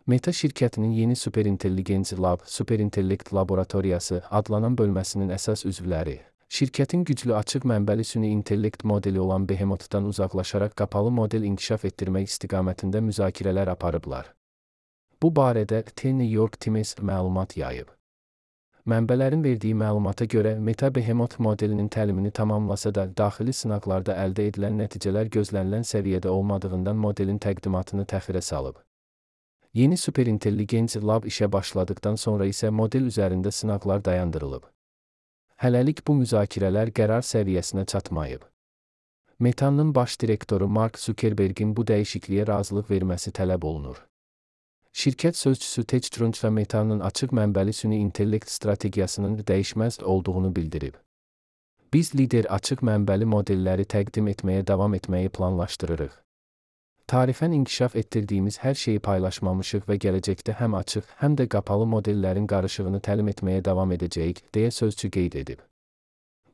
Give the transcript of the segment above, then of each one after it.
Meta şirkətinin yeni Superintelligence Lab, Superintellekt Laboratoriyası adlanan bölməsinin əsas üzvləri, şirkətin güclü açıq mənbəli süni intellekt modeli olan Behemothdan uzaqlaşaraq qapalı model inkişaf etdirmək istiqamətində müzakirələr aparıblar. Bu barədə The New York Times məlumat yayıb. Mənbələrin verdiyi məlumata görə Meta Behemoth modelinin təlimini tamamlasa da daxili sınaqlarda əldə edilən nəticələr gözlənilən səviyyədə olmadığından modelin təqdimatını təxirə salıb. Yeni Superintelligence Lab işə başladıktan sonra isə model üzərində sınaqlar dayandırılıb. Hələlik bu müzakirələr qərar səviyyəsinə çatmayıb. Meta'nın baş direktoru Mark Zuckerberg'in bu dəyişikliyə razılıq verməsi tələb olunur. Şirkət sözçüsü Ted Truench Meta'nın açıq mənbəli süni intellekt strategiyasının dəyişməz olduğunu bildirib. Biz lider açıq mənbəli modelləri təqdim etməyə davam etməyi planlaşdırırıq. Tarixən inkişaf etdirdiyimiz hər şeyi paylaşmamışıq və gələcəkdə həm açıq, həm də qapalı modellərin qarışığını təlim etməyə davam edəcəyik, deyə sözçü qeyd edib.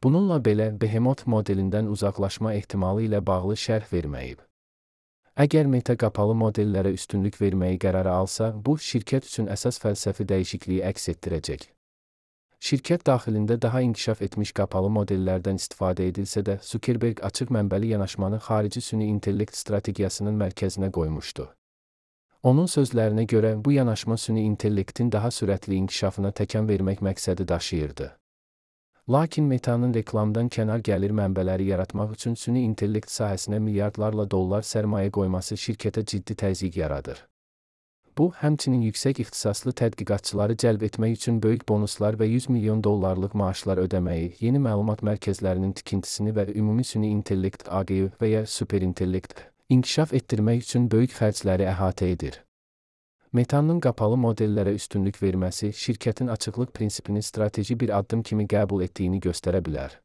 Bununla belə, Behemoth modelindən uzaqlaşma ehtimalı ilə bağlı şərh verməyib. Əgər Meta qapalı modellərə üstünlük verməyi qərara alsa, bu, şirkət üçün əsas fəlsəfi dəyişikliyi əks etdirəcək. Şirkət daxilində daha inkişaf etmiş qapalı modellərdən istifadə edilsə də, Zuckerberg açıq mənbəli yanaşmanı xarici süni intellekt strategiyasının mərkəzinə qoymuşdu. Onun sözlərinə görə, bu yanaşma süni intellektin daha sürətli inkişafına təkan vermək məqsədi daşıyırdı. Lakin Meta'nın reklamdan kənar gəlir mənbələri yaratmaq üçün süni intellekt sahəsinə milyardlarla dollar sərmayə qoyması şirkətə ciddi təzyiq yaradır. Bu, həmçinin yüksək ixtisaslı tədqiqatçıları cəlb etmək üçün böyük bonuslar və 100 milyon dollarlıq maaşlar ödəməyi, yeni məlumat mərkəzlərinin tikintisini və ümumi süni intellekt AGI və ya superintellekt inkişaf etdirmək üçün böyük xərcləri əhatə edir. Meta'nın qapalı modellərə üstünlük verməsi şirkətin açıqlıq prinsipini strateji bir addım kimi qəbul etdiyini göstərə bilər.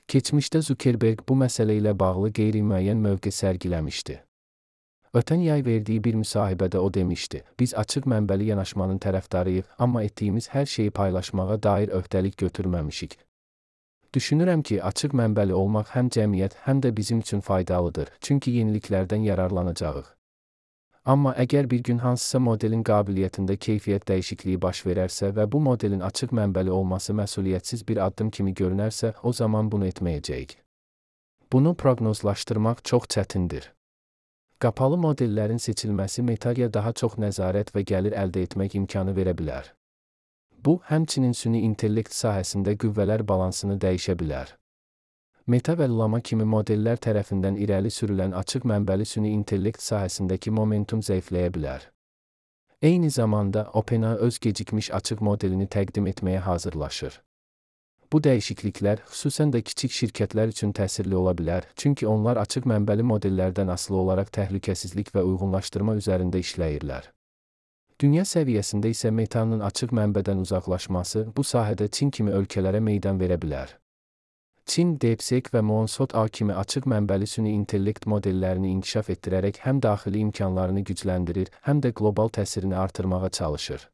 Keçmişdə Zuckerberg bu məsələ ilə bağlı qeyri-müəyyən mövqe sərgiləmişdi. Ötən yay verdiyi bir müsahibədə o demişdi, biz açıq mənbəli yanaşmanın tərəfdarıyıq, amma etdiyimiz hər şeyi paylaşmağa dair öhdəlik götürməmişik. Düşünürəm ki, açıq mənbəli olmaq həm cəmiyyət, həm də bizim üçün faydalıdır, çünki yeniliklərdən yararlanacağıq. Amma əgər bir gün hansısa modelin qabiliyyətində keyfiyyət dəyişikliyi baş verərsə və bu modelin açıq mənbəli olması məsuliyyətsiz bir addım kimi görünərsə, o zaman bunu etməyəcəyik. Bunu proqnozlaşdırmaq çox çətindir. Qapalı modellərin seçilməsi Meta'ya daha çox nəzarət və gəlir əldə etmək imkanı verə bilər. Bu, həmçinin süni intellekt sahəsində qüvvələr balansını dəyişə bilər. Meta və Llama kimi modellər tərəfindən irəli sürülən açıq mənbəli süni intellekt sahəsindəki momentum zəifləyə bilər. Eyni zamanda, OpenAI öz gecikmiş açıq modelini təqdim etməyə hazırlaşır. Bu dəyişikliklər, xüsusən də kiçik şirkətlər üçün təsirli ola bilər, çünki onlar açıq mənbəli modellərdən asılı olaraq təhlükəsizlik və uyğunlaşdırma üzərində işləyirlər. Dünya səviyyəsində isə Meta'nın açıq mənbədən uzaqlaşması bu sahədə Çin kimi ölkələrə meydan verə bilər. Çin, DeepSeek və Monsot-A kimi açıq mənbəli süni intellekt modellərini inkişaf etdirərək həm daxili imkanlarını gücləndirir, həm də qlobal təsirini artırmağa çalışır.